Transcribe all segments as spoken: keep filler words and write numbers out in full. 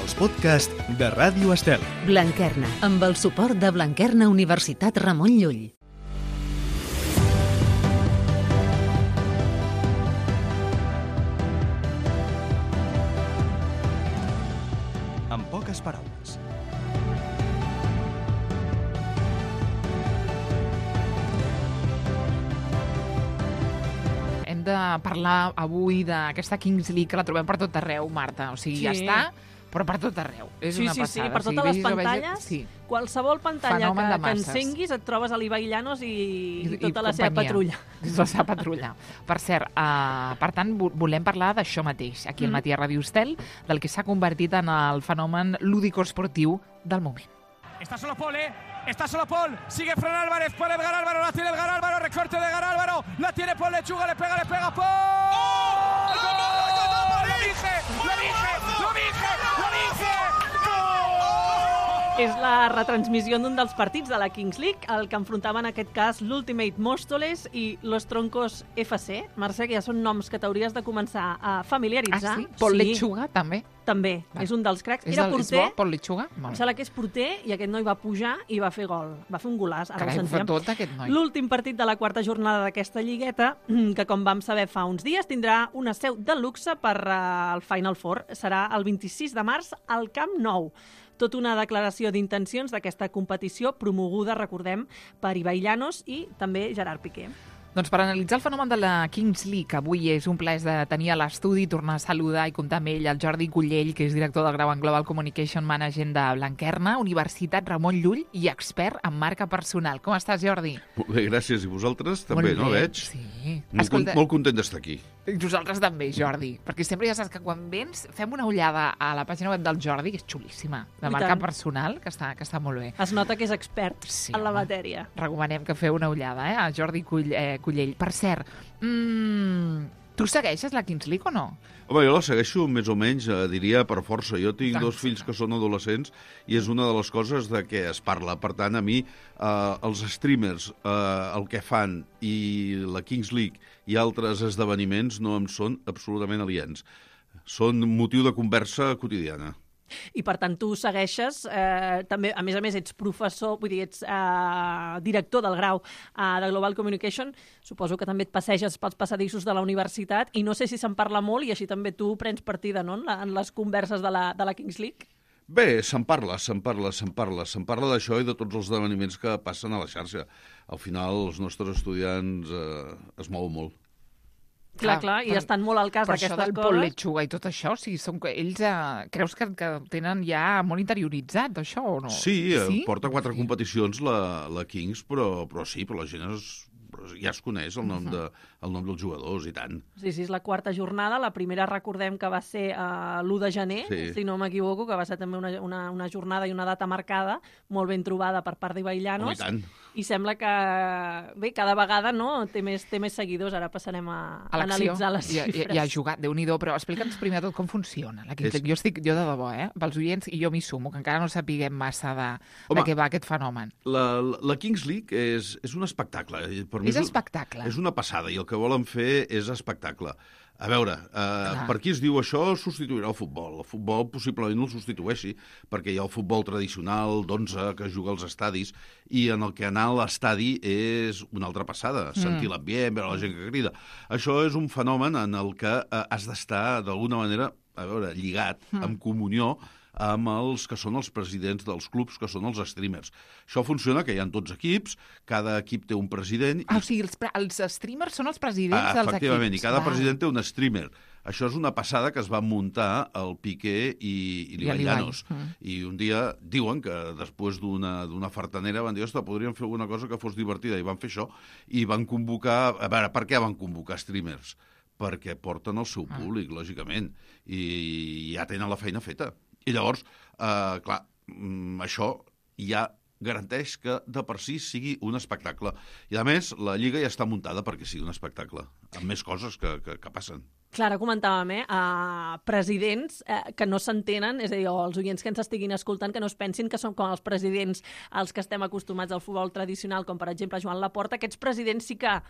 els podcasts de Ràdio Estel. Blanquerna, amb el suport de Blanquerna Universitat Ramon Llull. En poques paraules. Hem de parlar avui d'aquesta Kings League que la trobem per tot arreu, Marta. O sigui, Sí. ja està, però per tot arreu. És Sí, una sí, passada. sí, per O sigui, totes les vegis o vegis- pantalles, Sí. qualsevol pantalla Fenomen que, de que masses. encenguis et trobes a l'Ibai Llanos i, i, tota la seva companyia. patrulla. La seva patrulla. Per cert, uh, per tant, vo- volem parlar d'això mateix, aquí al Mm. Matí a Ràdio Estel, del que s'ha convertit en el fenomen lúdico-esportiu del moment. Está solo Paul, ¿eh? Está solo Paul. Sigue Fran Álvarez. Puede Edgar Álvaro. La tiene Edgar Álvaro. Recorte de Edgar Álvaro. La tiene Paul Lechuga. Le pega, le pega Paul. ¡Oh! ¡Gol! ¡Lo dije! ¡Lo dije! ¡Lo dije! ¡Lo dije! És la retransmissió d'un dels partits de la Kings League, el que enfrontaven en aquest cas l'Ultimate Móstoles i Los Troncos F C. Mercè, que ja són noms que t'hauries de començar a familiaritzar. Ah, sí? Paul Lechuga, també? També, Va. és un dels cracs. És, Era el, és porter, bo, Paul Lechuga? em Molt. sembla que és porter, i aquest noi va pujar i va fer gol. Va fer un golaç, ara Carai, ho ho fa sentíem. tot, aquest noi. L'últim partit de la quarta jornada d'aquesta lligueta, que com vam saber fa uns dies, tindrà una seu de luxe per uh, el Final Four. Serà el vint-i-sis de març al Camp Nou. Tot una declaració d'intencions d'aquesta competició promoguda, recordem, per Ibai Llanos i també Gerard Piqué. Doncs per analitzar el fenomen de la Kings League, avui és un plaer de tenir a l'estudi, tornar a saludar i comptar amb ell el Jordi Cullell, que és director del grau en Global Communication Management de Blanquerna, Universitat Ramon Llull i expert en marca personal. Com estàs, Jordi? Molt bé, gràcies. I vosaltres també, Molt no bé, veig? Sí. Molt, Escolta, molt content d'estar aquí. nosaltres també, Jordi, perquè sempre ja saps que quan vens fem una ullada a la pàgina web del Jordi, que és xulíssima, de I marca tant. personal, que està, que està molt bé. Es nota que és expert Sí, en la home. matèria. Recomanem que feu una ullada, eh, a Jordi Cull, eh, Cullell. Per cert, mm, tu segueixes la Kings League o no? Home, jo la segueixo més o menys, eh, diria, per força. Jo tinc Tant, dos sí, fills tant. que són adolescents i és una de les coses de què es parla. Per tant, a mi, eh, els streamers, eh, el que fan i la Kings League i altres esdeveniments no em són absolutament aliens. Són motiu de conversa quotidiana. I per tant tu segueixes, eh, també, a més a més ets professor, vull dir, ets eh, director del grau eh, de Global Communication, suposo que també et passeges pels passadissos de la universitat i no sé si se'n parla molt i així també tu prens partida, no?, en, la, en les converses de la, de la Kings League. Bé, se'n parla, se'n parla, se'n parla. Se'n parla d'això i de tots els esdeveniments que passen a la xarxa. Al final, els nostres estudiants eh, es mouen molt. Clar, Clar, clar, i però- estan molt al cas Per això d'aquestes del coses. Paul Lechuga i tot això, o sigui, són, ells eh, creus que, que tenen ja molt interioritzat això o no? Sí, sí? porta quatre Sí. competicions la, la Kings, però, però sí, però la gent es, ja es coneix el nom, de, el nom dels jugadors i tant. Sí, sí, és la quarta jornada. La primera recordem que va ser uh, l'u de gener, Sí. si no m'equivoco, que va ser també una, una, una jornada i una data marcada, molt ben trobada per part d'Ibai Home, Llanos. i tant. I sembla que, bé, cada vegada no té més, té més seguidors. Ara passarem a, A l'acció, analitzar les i, a- xifres. i, i a jugar, Déu-n'hi-do, però explica'ns primer de tot com funciona la Kings És- League. Jo estic, jo de debò, eh, pels oients, i jo m'hi sumo, que encara no sapiguem massa de, Home, de què va aquest fenomen. La, la, la Kings League és, és un espectacle. I Per mi És un- espectacle. És una passada, i el que volen fer és espectacle. A veure, eh, per qui es diu això substituirà el futbol. El futbol possiblement no el substitueixi, perquè hi ha el futbol tradicional d'onze que es juga als estadis, i en el que anar a l'estadi és una altra passada, sentir l'ambient, veure la gent que crida. Això és un fenomen en el que eh, has d'estar, d'alguna manera, a veure, lligat, en comunió, amb els que són els presidents dels clubs, que són els streamers. Això funciona, que hi ha tots equips, cada equip té un president... Ah, o sigui, els, pre- els streamers són els presidents Ah, dels efectivament, equips. i cada Val. president té un streamer. Això és una passada que es va muntar el Piqué i, i l'Ibai l'Ibai. Llanos. Mm. I un dia diuen que després d'una d'una fartanera van dir, ostres, podríem fer alguna cosa que fos divertida, i van fer això, i van convocar... A veure, per què van convocar streamers? Perquè porten el seu públic, lògicament, i ja tenen la feina feta. I llavors, eh, clar, mm, això ja garanteix que de per si sigui un espectacle. I a més, la Lliga ja està muntada perquè sigui un espectacle, amb més coses que, que, que passen. Clar, ara comentàvem, eh, uh, presidents eh, que no s'entenen, és a dir, o els oients que ens estiguin escoltant, que no es pensin que són com els presidents als que estem acostumats al futbol tradicional, com per exemple Joan Laporta. Aquests presidents sí que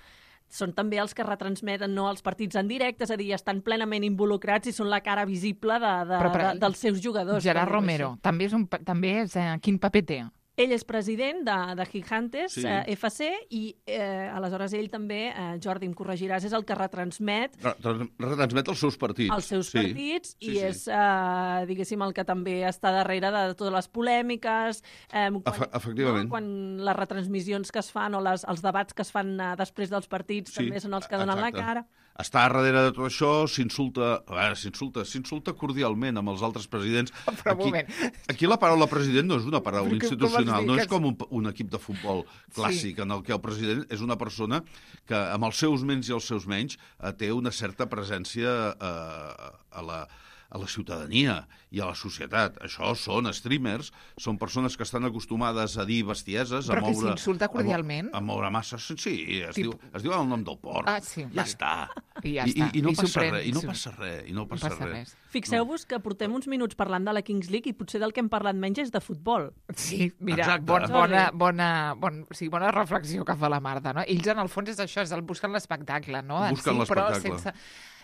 són també els que retransmeten no, els partits en directe, és a dir, estan plenament involucrats i són la cara visible de, de, Però, però, de, dels seus jugadors. Gerard Romero, també és, un, també és eh, quin paper té? Ell és president de, de Gigantes, Sí. eh, F C, i eh, aleshores ell també, eh, Jordi, em corregiràs, és el que retransmet Re- Retransmet els seus partits. els seus Sí. partits Sí, i sí. és, eh, diguéssim, el que també està darrere de totes les polèmiques, eh, quan, Efe- efectivament. No? quan les retransmissions que es fan o les, els debats que es fan eh, després dels partits Sí, també són els que donen exacte. la cara. Està darrere de tot això, s'insulta, a veure, s'insulta, s'insulta cordialment amb els altres presidents. Però un aquí, moment. aquí la paraula president no és una paraula Però com- com institucional, vols dir no que és és- com un, un equip de futbol clàssic, Sí. en el que el president és una persona que, amb els seus menys i els seus menys, eh, té una certa presència eh, a la a la ciutadania i a la societat. Això són streamers, són persones que estan acostumades a dir bestieses, Però a que moure... s'insulta a mo- cordialment? A, moure masses... Sí, es, Tip- diu, es diu el nom del porc. Ah, sí, Ja vale. està. I ja I, està. i, i no I s'ho passa pren- res, i no s'ho- passa res, i no No passa, passa res. res. Fixeu-vos que portem uns minuts parlant de la Kings League i potser del que hem parlat menys és de futbol. Sí, mira, Exacte. bon, bona, bona, bon, sí, bona reflexió que fa la Marta, no? Ells, en el fons, és això, és el busquen l'espectacle, no? En Busquen si, però l'espectacle. sense...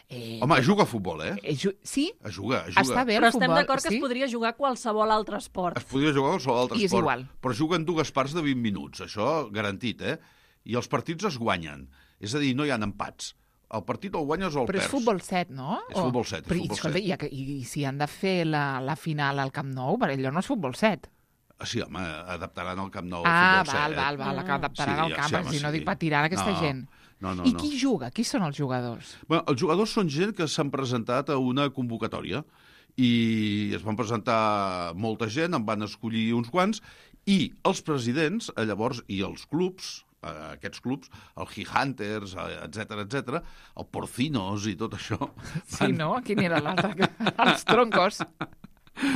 Eh, Home, juga a futbol, eh? eh, ju- sí? Juga, juga. Està bé el Però estem futbol, d'acord que sí? es podria jugar a qualsevol altre esport. Es podria jugar a qualsevol altre I és esport, igual. però juguen dues parts de vint minuts, això garantit, eh? I els partits es guanyen, és a dir, no hi ha empats. El partit el guanyes o el Però és perds. futbol set, no? És futbol set, és Però, i, futbol escolta, set. I, i, i si han de fer la, la final al Camp Nou, per allò no és futbol set. Ah, sí, home, adaptaran el Camp Nou Ah, al futbol val, set. val, val, que adaptaran Sí, al ja, camp, sí, home, si no sí. dic per tirar aquesta No, gent. no, no, I no. qui juga? Qui són els jugadors? Bueno, els jugadors són gent que s'han presentat a una convocatòria i es van presentar molta gent, en van escollir uns quants, i els presidents, eh, llavors, i els clubs, eh, aquests clubs, el Gigantes, etc etc, el Porcinos i tot això, Sí, no? Quin era l'altre? Els troncos.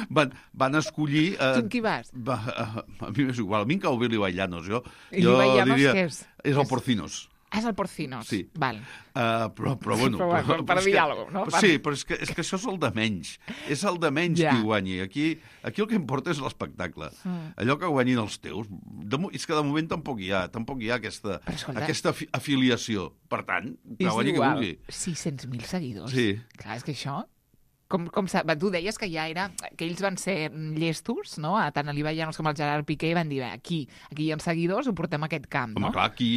van, van escollir... Tu amb qui vas? Va, a, a mi m'és igual, a mi em cau bé l'Iballanos, jo, I jo l'Iballanos diria... què és? És el És- Porcinos. Ah, és el Porcinos. Sí. Val. Uh, però, però, bueno... Però, bueno, per és dir que- alguna cosa, no? Per- Sí, però és que, és que això és el de menys. És el de menys Ja. qui guanyi. Aquí, aquí el que importa és l'espectacle. Mm. Allò que guanyin els teus... De, mo- és que de moment tampoc hi ha, tampoc hi ha aquesta, Però escolta- aquesta afi afiliació. Per tant, que És guanyi qui igual. vulgui. sis-cents mil seguidors. Sí. Clar, és que això... Com, com sa- va, tu deies que ja era... que ells van ser llestos, no? A tant a l'Iballanos com al Gerard Piqué i van dir, bé, aquí, aquí hi ha seguidors, ho portem a aquest camp, Home, no? clar, aquí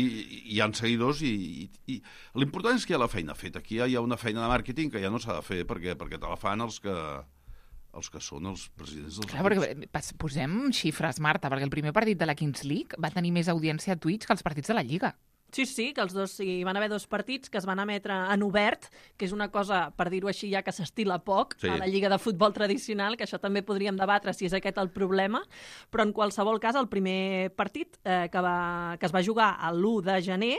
hi ha seguidors i, i, i l'important és que hi ha la feina feta. Aquí hi ha una feina de màrqueting que ja no s'ha de fer perquè, perquè te la fan els que, els que són els presidents dels Clar, perquè pas- posem xifres, Marta, perquè el primer partit de la Kings League va tenir més audiència a Twitch que els partits de la Lliga. Sí, sí, que els dos, sí, van haver dos partits que es van emetre en obert, que és una cosa, per dir-ho així, ja que s'estila poc Sí. a la lliga de futbol tradicional, que això també podríem debatre si és aquest el problema, però en qualsevol cas el primer partit eh, que, va, que es va jugar l'u de gener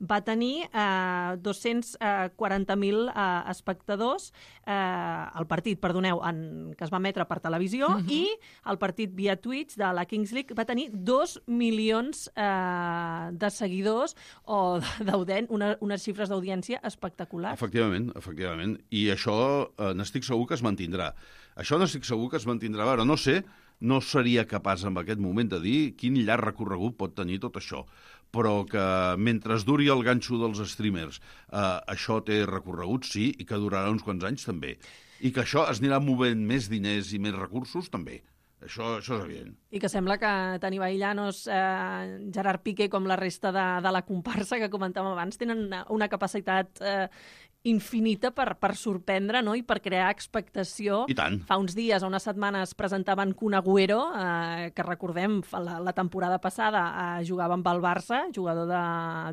va tenir eh, dos-cents quaranta mil eh, espectadors, eh, el partit, perdoneu, en, que es va emetre per televisió, Mhm. i el partit via Twitch de la Kings League va tenir dos milions eh, de seguidors o d'audient, una, unes xifres d'audiència espectaculars. Efectivament, efectivament. I això eh, n'estic segur que es mantindrà. Això n'estic segur que es mantindrà. A veure, no sé, no seria capaç en aquest moment de dir quin llarg recorregut pot tenir tot això, però que mentre es duri el ganxo dels streamers eh, això té recorregut, sí, i que durarà uns quants anys també. I que això es anirà movent més diners i més recursos, també. Això, això és evident. I que sembla que tant Iballanos, eh, Gerard Piqué com la resta de, de la comparsa que comentàvem abans tenen una, una capacitat eh, infinita per, per sorprendre, no? I per crear expectació. I tant. Fa uns dies, o unes setmanes, presentaven Kun Agüero, eh, que recordem, fa la, la temporada passada eh, jugava amb el Barça, jugador de,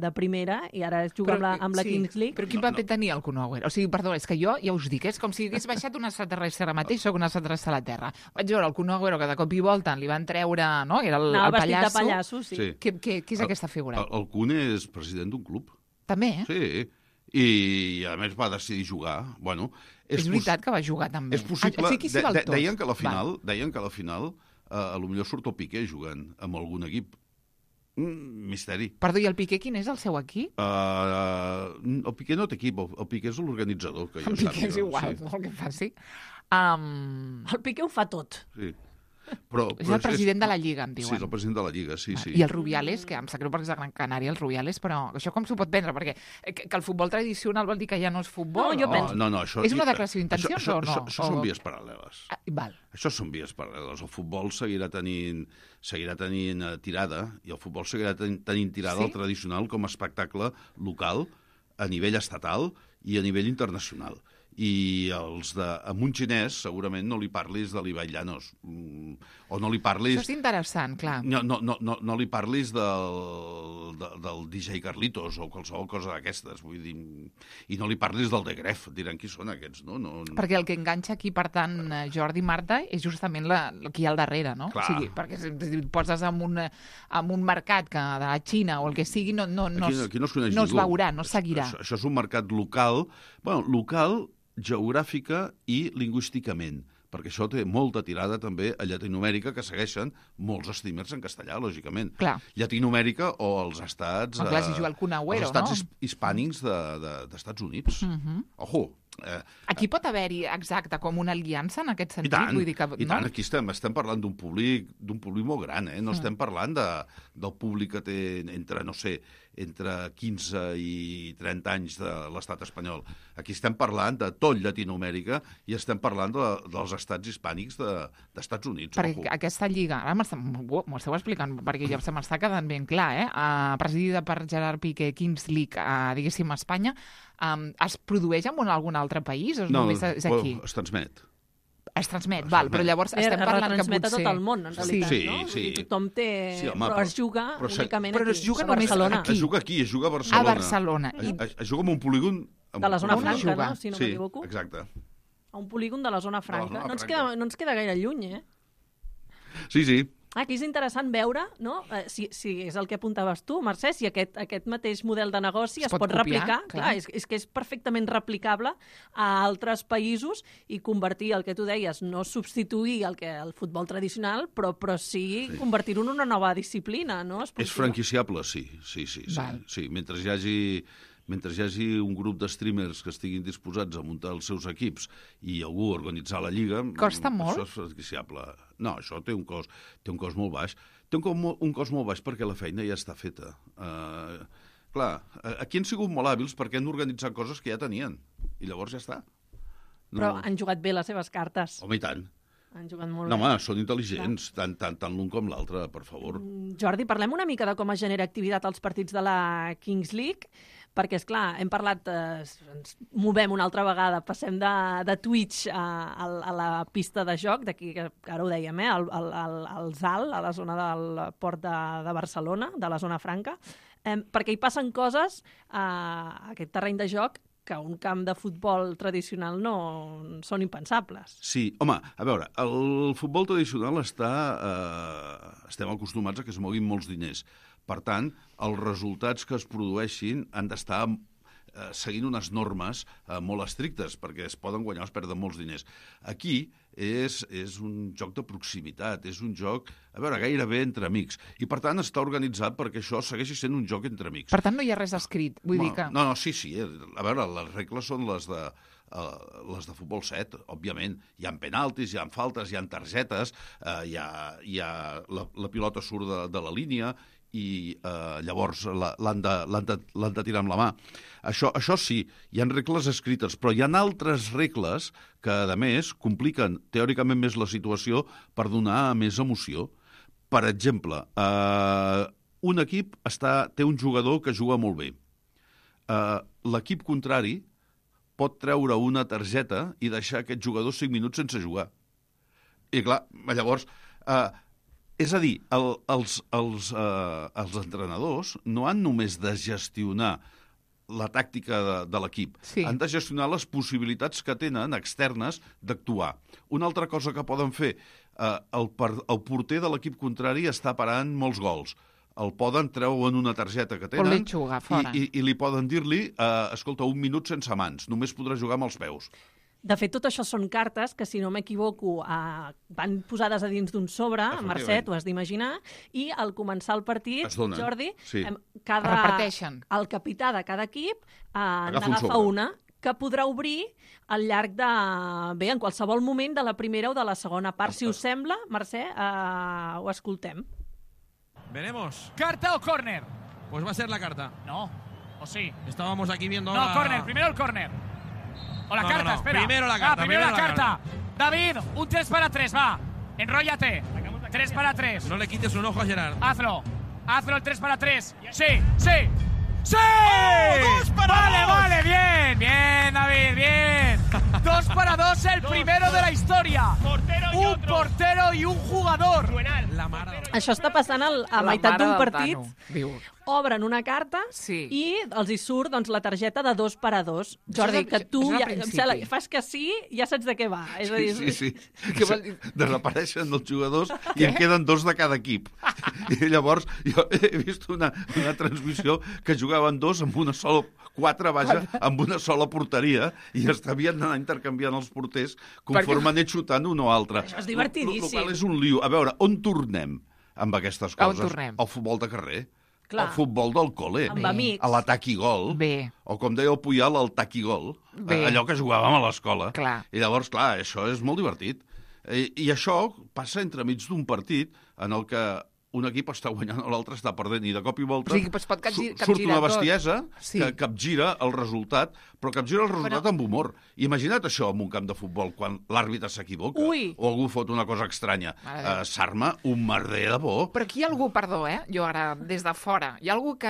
de primera, i ara juga amb la, amb la sí, Kings League. Però quin No, paper no. tenia el Kun Agüero? O sigui, perdó, és que jo ja us dic, és com si hagués baixat un extraterrestre ara mateix, sóc un extraterrestre a la Terra. Vaig veure el Kun Agüero que de cop i volta li van treure, no? Era el, Anava el vestit pallasso. de pallasso, sí. Sí. Què, què, què és El- aquesta figura? El, el Kun és president d'un club. També, eh? Sí, i a més va decidir jugar. Bueno, És, és veritat que va jugar també. És possible. Ah, sí, aquí s'hi de, val de, tot. deien que a la final, Va. deien que a la final eh, a lo millor surt el Piqué jugant amb algun equip. Mm, misteri. Perdó, i el Piqué quin és el seu equip? Uh, el Piqué no té equip, el, el Piqué és l'organitzador. Que jo El Piqué és sàpiga, igual, Sí. no el que faci. Um... El Piqué ho fa tot. Sí. Però, És però el president de la Lliga, em diuen. Sí, és el president de la Lliga, sí, sí. I el Rubiales, que em sap greu perquè és de Gran Canària, el Rubiales, però això com s'ho pot vendre? Perquè que, que el futbol tradicional vol dir que ja no és futbol? No, jo o... penso- No, no, això... És una declaració d'intencions això, o no? Això, això O- són vies paral·leles. Ah, val. Això són vies paral·leles. El futbol seguirà tenint, seguirà tenint uh, tirada i el futbol seguirà ten, tenint tirada Sí? al tradicional com a espectacle local, a nivell estatal i a nivell internacional. I els de, a un xinès segurament no li parlis de l'Ibai Llanos mm, o no li parlis... Això és interessant, clar. No, no, no, no, no li parlis del, de, del D J Carlitos o qualsevol cosa d'aquestes, vull dir, i no li parlis del de Gref, diran qui són aquests, no? no, no. Perquè el que enganxa aquí, per tant, eh, Jordi i Marta, és justament la, qui hi ha al darrere, no? Clar. O sigui, perquè si si et poses en un, en un mercat que de la Xina o el que sigui, no, no, no, Aquí, es, aquí no es coneix no es ningú. veurà, no es seguirà. Això, això és un mercat local, bueno, local, geogràfica i lingüísticament, perquè això té molta tirada també a Llatinoamèrica, que segueixen molts streamers en castellà, lògicament. Clar. Llatinoamèrica o els estats... Oh, clar, si eh, juga el Kun Agüero, els estats no? his- hispànics de, de, d'Estats Units. Mhm. Ojo! Eh, Aquí pot haver-hi, exacte, com una aliança en aquest I sentit? tant, Vull dir que, i no? tant, aquí estem, estem parlant d'un públic, d'un públic molt gran, eh? No estem parlant de, del públic que té entre, no sé, entre quinze i trenta anys de l'estat espanyol. Aquí estem parlant de tot Llatinoamèrica i estem parlant de, dels estats hispànics de, d'Estats Units. Perquè Ojo. aquesta lliga, ara m'està- m'ho m'ho esteu explicant, perquè ja se m'està quedant ben clar, eh? Uh, presidida per Gerard Piqué, Kings League, uh, diguéssim, a Espanya, um, es produeix en un, algun altre país o No, només és aquí? es transmet. Es transmet, es val, transmet. però llavors Es estem parlant que retransmet potser... a tot el món, en realitat, Sí, no? Vull sí. dir, tothom té... Sí, home, però, però- es juga però se- únicament però aquí, es juga a només Barcelona. aquí. Es juga aquí, es juga a A Barcelona. Barcelona. I Es, es juga en un polígon... De la zona On es franca, juga? no? Si no sí, m'equivoco. exacte. A un polígon de la zona franca. zona no, ens franca. queda, no ens queda gaire lluny, eh? Sí, sí. Aquí és interessant veure, no? Eh, si, si és el que apuntaves tu, Mercè, si aquest, aquest mateix model de negoci Es es, pot pot, copiar, replicar. clar. Clar, és, és que és perfectament replicable a altres països i convertir el que tu deies, no substituir el, que, el futbol tradicional, però, però sí, sí. convertir-ho en una nova disciplina, no? És Esportiva. franquiciable, sí. Sí, sí, sí. Val. sí. Mentre hi hagi mentre hi hagi un grup de streamers que estiguin disposats a muntar els seus equips i algú a organitzar la lliga... Costa mm, molt? Això és franquiciable. No, això té un cost, té un cost molt baix. Té un cost, molt- un cost molt baix perquè la feina ja està feta. Uh, clar, aquí han sigut molt hàbils perquè han organitzat coses que ja tenien. I llavors ja està. Però han jugat bé les seves cartes. Home, i tant. Han jugat molt No, bé. home, són intel·ligents, tant, tant, tant l'un com l'altre, per favor. Jordi, parlem una mica de com es genera activitat als partits de la Kings League, perquè, és clar, hem parlat, eh, ens movem una altra vegada, passem de, de Twitch a, a, a la pista de joc, d'aquí, que ara ho dèiem, eh, al, al, al, al Z A L, a la zona del port de, de Barcelona, de la zona franca, eh, perquè hi passen coses a aquest terreny de joc que a un camp de futbol tradicional no són impensables. Sí, home, a veure, el futbol tradicional està... Eh, estem acostumats a que es moguin molts diners. Per tant, els resultats que es produeixin han d'estar eh, seguint unes normes eh, molt estrictes, perquè es poden guanyar o es perden molts diners. Aquí és, és un joc de proximitat, és un joc, a veure, gairebé entre amics. I, per tant, està organitzat perquè això segueixi sent un joc entre amics. Per tant, no hi ha res escrit. Vull no, dir que... No, no, sí, sí. eh, A veure, les regles són les de, uh, les de futbol set, òbviament. Hi ha penaltis, hi ha faltes, hi ha targetes, uh, hi ha, hi ha la, la pilota surt de, de la línia i uh, llavors la- l'han de, l'han de, l'han de tirar amb la mà. Això, això sí, hi ha regles escrites, però hi ha altres regles que, a més, compliquen teòricament més la situació per donar més emoció. Per exemple, eh, un equip està, té un jugador que juga molt bé. Eh, l'equip contrari pot treure una targeta i deixar aquest jugador cinc minuts sense jugar. I clar, llavors... Eh, és a dir, el, els, els, eh, els entrenadors no han només de gestionar la tàctica de, de l'equip. Sí. Han de gestionar les possibilitats que tenen externes d'actuar. Una altra cosa que poden fer, eh, el, per, el porter de l'equip contrari està parant molts gols. El poden treure en una targeta que tenen Pot l'enxugar fora. i, i, i li poden dir-li, eh, escolta, un minut sense mans, només podrà jugar amb els peus. De fet, tot això són cartes que, si no m'equivoco, eh, van posades a dins d'un sobre, Efectivament. Mercè, t'ho has d'imaginar, i al començar el partit, Es donen, Jordi, sí. em, cada, Es reparteixen. el capità de cada equip eh, Agafa un n'agafa sobre. una, que podrà obrir al llarg de... Bé, en qualsevol moment de la primera o de la segona part. Si us sembla, Mercè, eh, ho escoltem. Veremos. ¿Carta o córner? Pues va a ser la carta. No. ¿O sí? Estábamos aquí viendo... No, la... córner. Primero el córner. O la No, carta, no, no. espera. Primero la carta, Ah, primero, primero la la carta. David, un tres para tres, va. Enróllate. tres para tres. No le quites un ojo a Gerard. Hazlo. Hazlo el tres para tres. Sí, sí. ¡Sí! ¡Oh, dos para vale, dos! vale, bien. Bien, David, bien. Dos para dos, el primero de la historia. Un portero y un jugador. La mare de... Això està passant al, a La meitat mare d'un del partit. Tano, diu. Obren una carta Sí. i els hi surt doncs, la targeta de dos per a dos. Jordi, és a- que tu això és al ja, em principi. sembla, fas que sí, ja saps de què va. És a dir, Sí, sí, sí. Què vol dir? Desapareixen els jugadors i en queden dos de cada equip. I llavors jo he vist una, una transmissió que jugaven dos amb una sola, quatre, vaja, amb una sola porteria i es havien d'anar intercanviant els porters conforme han anat xutant un o altre. Això és divertidíssim. El qual és un lío. A veure, on tornem amb aquestes On coses? tornem? Al futbol de carrer. Clar. Al futbol del col·le. Amb amics. A l'atac i gol. Bé. O com deia el Puyal, el tac i gol. Bé. Allò que jugàvem a l'escola. Clar. I llavors, clar, això és molt divertit. I, i això passa entremig d'un partit en el que un equip està guanyant o l'altre està perdent i de cop i volta O sigui, es pot capgi- su- surt capgirar una tot. bestiesa Sí. que capgira el resultat, però capgira el resultat amb humor. Imagina't això en un camp de futbol, quan l'àrbitre s'equivoca Ui. o algú fot una cosa estranya. Mare de Déu. Uh, S'arma un merder de bo. Però aquí hi ha algú, perdó, eh? Jo ara, des de fora, hi ha algú que,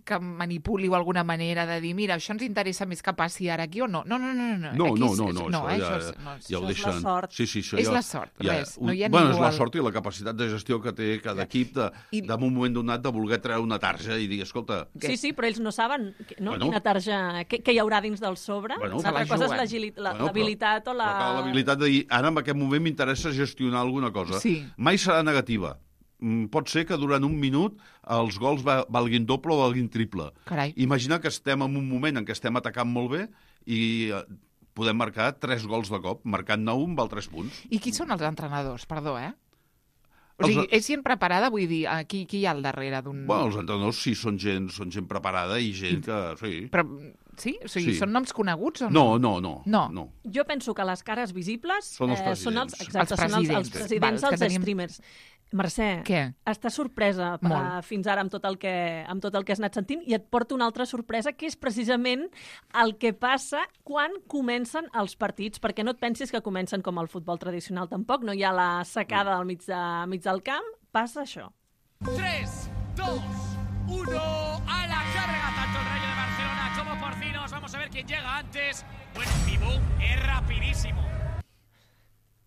que manipuli o alguna manera de dir, mira, això ens interessa més que passi ara aquí o no? No, no, no, no. No, aquí no, és- no, no, no, això eh? ja, Això és, no, és- ja ho això és la deixen. sort. Sí, sí, això És ja, la sort, ja, res. No hi ha bueno, ningú és la al- sort i la capacitat de gestió que té cada equip de, I- de un moment donat de voler treure una tarja i dir, escolta, Què? Sí, sí, però ells no saben que- no? Bueno. quina tarja, què, què hi haurà dins del sobre. Bueno, Una altra se la cosa és juguen. l'agili- la- Bueno, però- l'habilitat o la... però cal l'habilitat de dir, ara en aquest moment m'interessa gestionar alguna cosa. Sí. Mai serà negativa. Mm, Pot ser que durant un minut els gols va- valguin doble o valguin triple. Carai. Imagina que estem en un moment en què estem atacant molt bé i eh, podem marcar tres gols de cop. Marcant-ne un val tres punts. I qui són els entrenadors, perdó, eh? O Els- sigui, és gent preparada, vull dir, eh, qui, qui hi ha al darrere d'un... Bueno, els entrenadors sí són gent, són gent preparada i gent que... Sí. Però, sí? O sigui, Sí. són noms coneguts o no? No, no, no. No. no. Jo penso que les cares visibles Són els eh, són els, presidents. exacte, Els són els, els presidents. presidents Val, que dels tenim- streamers. Mercè, Què? estàs sorpresa uh, Molt. fins ara amb tot, el que, amb tot el que has anat sentint i et porto una altra sorpresa, que és precisament el que passa quan comencen els partits, perquè no et pensis que comencen com el futbol tradicional tampoc, no hi ha la secada al mig, de, mig del camp, passa això. tres, dos, uno, a la carga, tanto el Rayo de Barcelona como Porcinos. Vamos a ver quién llega antes. Bueno, mi boom es rapidísimo.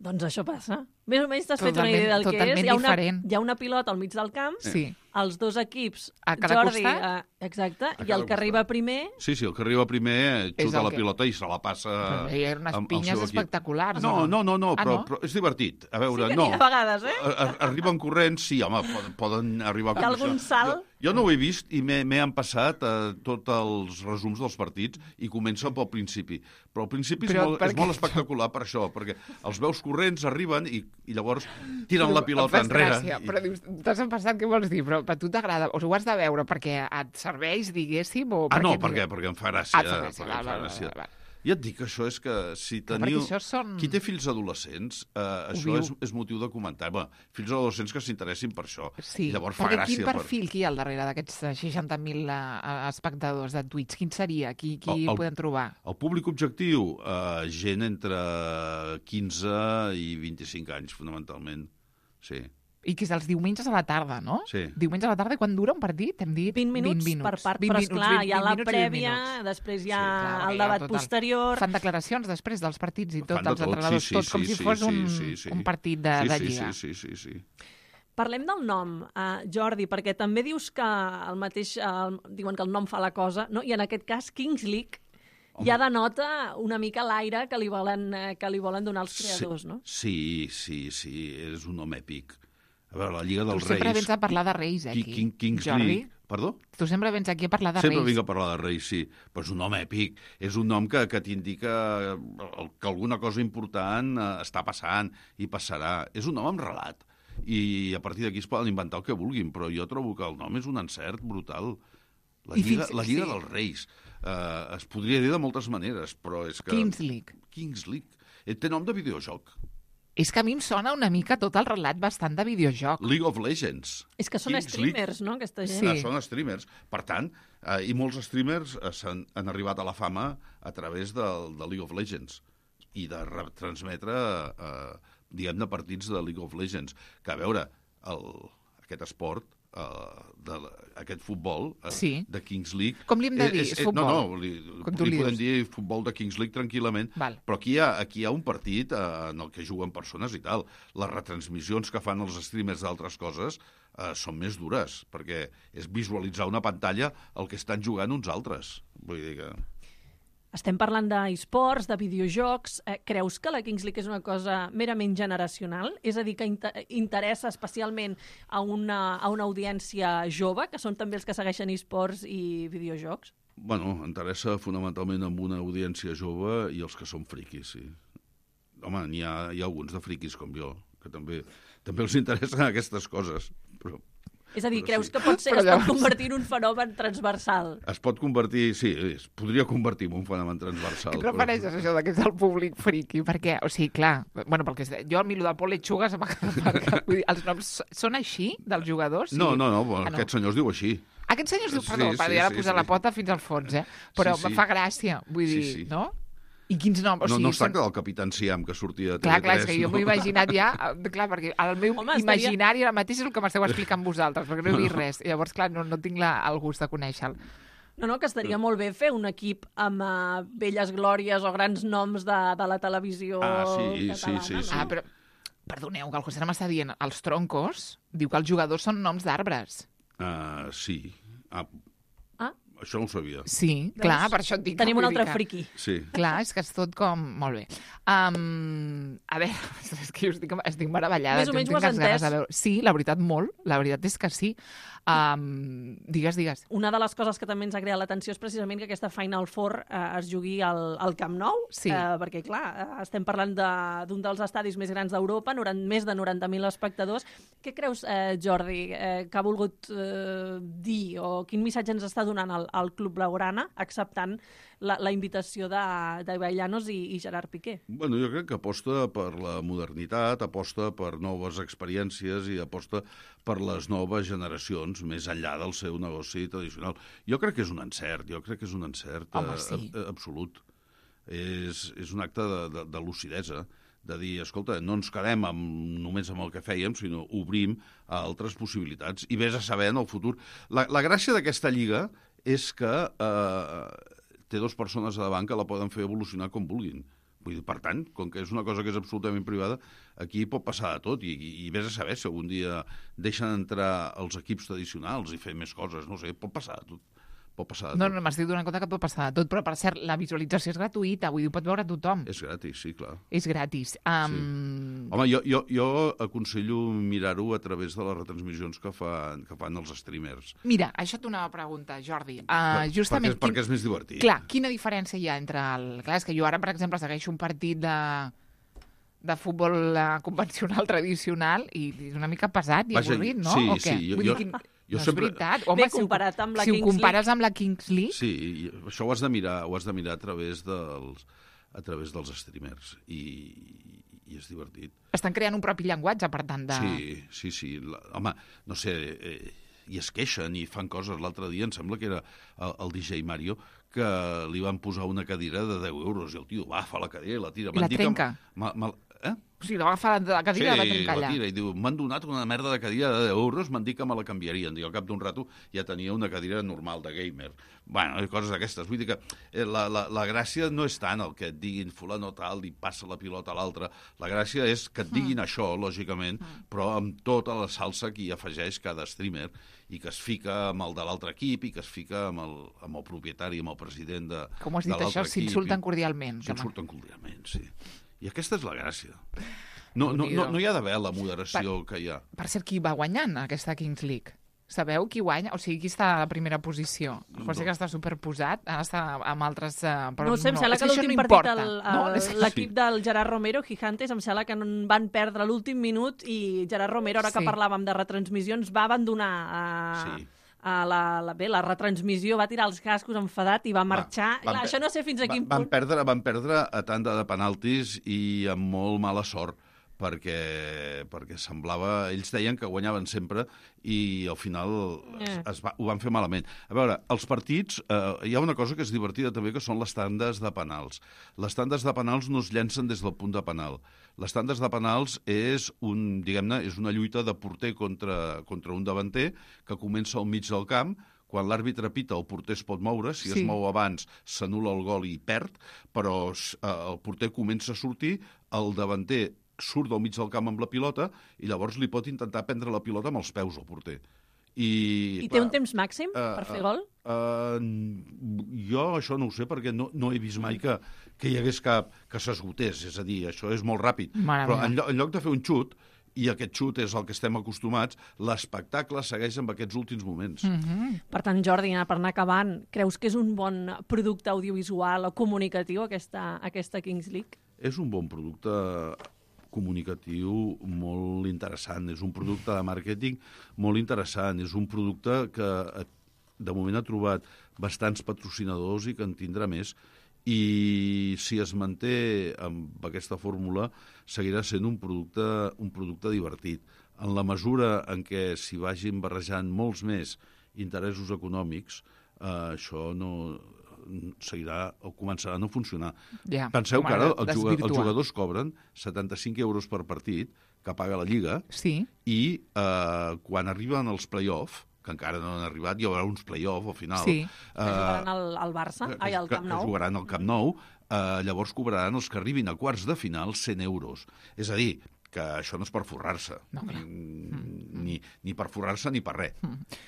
Doncs això passa. Més o menys t'has fet una Totalment- idea del que és. totalment Hi ha, una, diferent. hi ha una pilota al mig del camp, Sí. els dos equips, A cada Jordi, costat? eh, exacte, A i cada el que arriba primer... Sí, sí, el que arriba primer És xuta el la que- pilota i se la passa... Però hi ha unes amb el pinyes seu equip. espectaculars, No, o no, no? no, no, Ah, però, no? però és divertit. A veure, Sí que no. n'hi ha a vegades, eh? A- a- Arriben corrents, sí, home, poden, poden arribar... Hi ha algun salt? Jo, jo no ho he vist i m'he m'he empassat eh, tots els resums dels partits i comença pel principi. Però al principi és, Però molt, per és què? molt espectacular per això, perquè els veus corrents, arriben i, i llavors tiren Però la em pilota fas enrere. gràcia, i- Però dius, t'has empassat, què vols dir? Però a tu t'agrada, o ho has de veure perquè et serveix, diguéssim, o Ah, no, et- perquè, perquè em fa gràcia. Ah, et fa gràcia, perquè val, em fa val, gràcia. val, val. Ja et dic que això és que si Clar, teniu... perquè això són- Qui té fills adolescents, eh, això viu. és, és motiu de comentar. Bé, fills adolescents que s'interessin per això. Sí, I llavors fa perquè gràcia. quin perfil que hi ha al darrere d'aquests eh, seixanta mil eh, espectadors de Twitch? Quin seria? Qui, qui El- el- podem trobar? Per... El públic objectiu, eh, gent entre quinze i vint-i-cinc anys, fonamentalment. Sí. I que és els diumenges a la tarda, no? Sí. Diumenge a la tarda, i quan dura un partit? Hem dit vint minuts, vint per part, vint però minuts, esclar, vint- hi ha vint la minuts i vint prèvia, minuts. després hi ha Sí, clar, el perquè debat total. posterior... Fan declaracions després dels partits i tot, Fan de els tot, entrenadors, sí, sí, tot com sí, si sí, fos sí, un, sí, sí. un partit de, sí, de sí, lliga. Sí, sí, sí, sí. Parlem del nom, uh, Jordi, perquè també dius que el mateix, uh, diuen que el nom fa la cosa, no? I en aquest cas Kings League Home. ja denota una mica l'aire que li volen, eh, que li volen donar els creadors, sí, no? Sí, sí, sí, és un nom èpic. A veure, la Lliga Tu dels sempre Reis... vens a parlar de Reis, eh, Qui- aquí, King, Kings Jordi. League... Perdó? Tu sempre vens aquí a parlar de Sempre Reis. vinc a parlar de Reis, sí. Però és un nom èpic. És un nom que, que t'indica que alguna cosa important eh, està passant i passarà. És un nom amb relat. I a partir d'aquí es poden inventar el que vulguin, però jo trobo que el nom és un encert brutal. La I Lliga, fins- la Lliga sí. dels Reis. Uh, es podria dir de moltes maneres, però és que... Kings League. Kings League. Eh, Té nom de videojoc. És que a mi em sona una mica tot el relat bastant de videojoc. League of Legends. És que són Kings League. streamers, no?, aquesta gent. Sí. Ah, són streamers. Per tant, eh, i molts streamers eh, s'han, han arribat a la fama a través del, de League of Legends i de retransmetre, eh, diguem-ne, partits de League of Legends. Que, a veure, el, aquest esport, eh, de, aquest futbol eh, Sí. de Kings League... Com li hem de dir? És, És és, futbol? No, no, li, Com tu li li podem dius. dir futbol de Kings League tranquil·lament, Val. però aquí hi, ha, aquí hi ha un partit eh, en el que juguen persones i tal. Les retransmissions que fan els streamers d'altres coses eh, són més dures, perquè és visualitzar una pantalla el que estan jugant uns altres. Vull dir que... Estem parlant d'esports, de videojocs. Eh, creus que la Kings League és una cosa merament generacional? És a dir, que inter interessa especialment a una, a una audiència jove, que són també els que segueixen esports i videojocs? Bueno, interessa fonamentalment amb una audiència jove i els que són friquis, sí. Home, n'hi ha, hi ha alguns de friquis com jo, que també, també els interessen aquestes coses, però... És a dir, Però creus sí. que pot ser, Però es pot llavors- convertir en un fenomen transversal? Es pot convertir, sí, es podria convertir en un fenomen transversal. Què prefereixes això de que és el públic friqui? Perquè, o sigui, clar, bueno, perquè és- jo a mi el del Pol Lechuga se m'ha quedat... Vull dir, els noms són així, dels jugadors? No, Sí. no, no, bueno, Ah, no. aquest senyor es diu així. Aquest senyor es diu, Sí, perdó, sí, sí, ara sí, posar sí. la pota fins al fons, eh? Però Sí, sí. em fa gràcia, vull Sí, dir, sí. no? I quins noms? O No, sigui, no es són- tracta del Capitán Siam, que sortia a T V tres. Clar, clar, és que jo no? m'ho he imaginat ja, eh, clar, perquè el meu Home, estaria- imaginari ara mateix és el que m'esteu explicant vosaltres, perquè no he vist res. Llavors, clar, no, no tinc la, el gust de conèixer-lo. No, no, que estaria molt bé fer un equip amb uh, velles glòries o grans noms de, de la televisió Ah, sí, catalana. sí, sí, sí. Ah, però, perdoneu, que el José m'està dient, els troncos, diu que els jugadors són noms d'arbres. Uh, sí. Ah, Ah. això no ho sabia. Sí, Veus? clar, per això et dic. Tenim vull un dir altre que- friqui. Sí. Clar, és que és tot com... Molt bé. Um, a veure, és que jo estic, estic meravellada. Més o jo menys tinc ho has ganes de entès. veure- Sí, la veritat, molt. La veritat és que sí. Um, digues, digues. Una de les coses que també ens ha creat l'atenció és precisament que aquesta Final Four eh, es jugui al, al Camp Nou, Sí. eh, perquè, clar, eh, estem parlant de- d'un de, dels estadis més grans d'Europa, noran- més de noranta mil espectadors. Què creus, eh, Jordi, eh, que ha volgut eh, dir o quin missatge ens està donant el, el Club Blaugrana acceptant la, la invitació de, de Ibai i, i Gerard Piqué? Bueno, jo crec que aposta per la modernitat, aposta per noves experiències i aposta per les noves generacions, més enllà del seu negoci tradicional. Jo crec que és un encert, jo crec que és un encert Home, eh, sí. ab- absolut. És, és un acte de, de, de lucidesa, de dir, escolta, no ens quedem amb, només amb el que fèiem, sinó obrim a altres possibilitats i vés a saber en el futur. La, la gràcia d'aquesta lliga és que eh, té dues persones a davant que la poden fer evolucionar com vulguin. Vull dir, per tant, com que és una cosa que és absolutament privada, aquí pot passar de tot i, i, i vés a saber si algun dia deixen entrar els equips tradicionals i fer més coses, no sé, pot passar de tot. Pot passar de No, tot. no, m'estic donant compte que pot passar de tot, però per cert, la visualització és gratuïta, vull dir, ho pot veure tothom. És gratis, sí, clar. És gratis. Um, Home, jo, jo, jo aconsello mirar-ho a través de les retransmissions que fan, que fan els streamers. Mira, això t'ho anava a preguntar, Jordi. Uh, Per- justament, perquè, perquè és més divertit. Clar, quina diferència hi ha entre el... Clar, és que jo ara, per exemple, segueixo un partit de, de futbol eh, convencional, tradicional, i és una mica pesat i Vaja, avorrit, no? sí, o què? sí, jo- Vull jo- dir, quin... jo no sempre- és veritat. Bé, si ho- comparat amb la si Kings ho compares amb la Kings League... Sí, i això ho has de mirar, ho has de mirar a través dels, a través dels streamers i, i és divertit. Estan creant un propi llenguatge, per tant, de... Sí, sí, sí. La, home, no sé, eh, i es queixen i fan coses. L'altre dia em sembla que era el, el D J Mario, que li van posar una cadira de deu euros i el tio va, fa la cadira i la tira. I la M'han dit que- trenca. Ma, ma, eh? O sigui, la va agafar de la cadira i la va trencar la allà. tira i diu, m'han donat una merda de cadira de deu euros, m'han dit que me la canviarien. I al cap d'un rato ja tenia una cadira normal de gamer. Bueno, coses d'aquestes. Vull dir que eh, la, la, la gràcia no és tant el que et diguin fulano tal i passa la pilota a l'altre. La gràcia és que et diguin mm. això, lògicament, mm. però amb tota la salsa que hi afegeix cada streamer i que es fica amb el de l'altre equip i que es fica amb el, amb el propietari, amb el president de, Com has de dit l'altre això, equip. s'insulten cordialment. que no. S'insulten cordialment, sí. I aquesta és la gràcia. No, no, no, no hi ha d'haver la moderació per, que hi ha. Per cert, qui va guanyant aquesta Kings League? Sabeu qui guanya? O sigui, qui està a la primera posició? José, que està superposat, ara està amb altres... Uh, però No ho sé, em no, sembla és que això l'últim no partit, importa. el- No, el- és que- l'equip Sí. del Gerard Romero, Gigantes, em sembla que no van perdre l'últim minut i Gerard Romero, ara que Sí. parlàvem de retransmissions, va abandonar uh, Sí. Uh, la, la, bé, la retransmissió va tirar els cascos enfadat i va marxar. Va, Clar, això no sé fins a quin van punt... Perdre, van perdre a tanda de penaltis i amb molt mala sort, perquè, perquè semblava... Ells deien que guanyaven sempre i al final es, es va, ho van fer malament. A veure, els partits... Eh, hi ha una cosa que és divertida també, que són les tandes de penals. Les tandes de penals no es llencen des del punt de penal. Les tandes de penals és, un, diguem-ne, és una lluita de porter contra, contra un davanter que comença al mig del camp. Quan l'àrbitre pita, el porter es pot moure. Si sí. es mou abans, s'anul·la el gol i perd, però eh, el porter comença a sortir, el davanter surt del mig del camp amb la pilota i llavors li pot intentar prendre la pilota amb els peus al porter. I, I té clar, un temps màxim uh, per fer gol? Uh, uh, jo això no ho sé, perquè no, no he vist mai que, que hi hagués cap que s'esgotés. És a dir, això és molt ràpid. Mare Però meva. en, lloc, en lloc de fer un xut, i aquest xut és el que estem acostumats, l'espectacle segueix amb aquests últims moments. Mm -hmm. Per tant, Jordi, per anar acabant, creus que és un bon producte audiovisual o comunicatiu aquesta, aquesta Kings League? És un bon producte comunicatiu molt interessant, és un producte de màrqueting molt interessant, és un producte que de moment ha trobat bastants patrocinadors i que en tindrà més, i si es manté amb aquesta fórmula seguirà sent un producte, un producte divertit. En la mesura en què s'hi vagin barrejant molts més interessos econòmics, eh, això no seguirà o començarà a no funcionar. Ja, Penseu que ara els, jugadors, els jugadors cobren setanta-cinc euros per partit que paga la Lliga, sí. i eh, quan arriben els play-off, que encara no han arribat, hi haurà uns play-off al final. Sí. Eh, que jugaran al, al Barça, ai, al Camp Nou. Que jugaran al Camp Nou, eh, llavors cobraran els que arribin a quarts de final cent euros. És a dir, que això no és per forrar-se. No, clar. Ni, ni per forrar-se ni per res. Mm.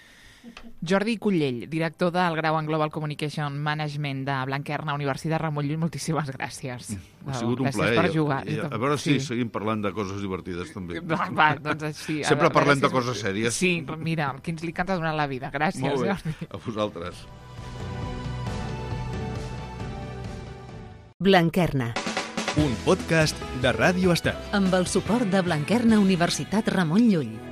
Jordi Cullell, director del grau en Global Communication Management de Blanquerna, Universitat Ramon Llull, moltíssimes gràcies. Ha sigut un gràcies plaer. per jugar. I, a veure si sí. seguim parlant de coses divertides, també. Va, va doncs així. Sempre veure, parlem gràcies. de coses sèries. Sí, mira, qui ens li canta donant la vida. Gràcies, Molt bé. Jordi. A vosaltres. Blanquerna, Un podcast de Ràdio Estel. amb el suport de Blanquerna Universitat Ramon Llull.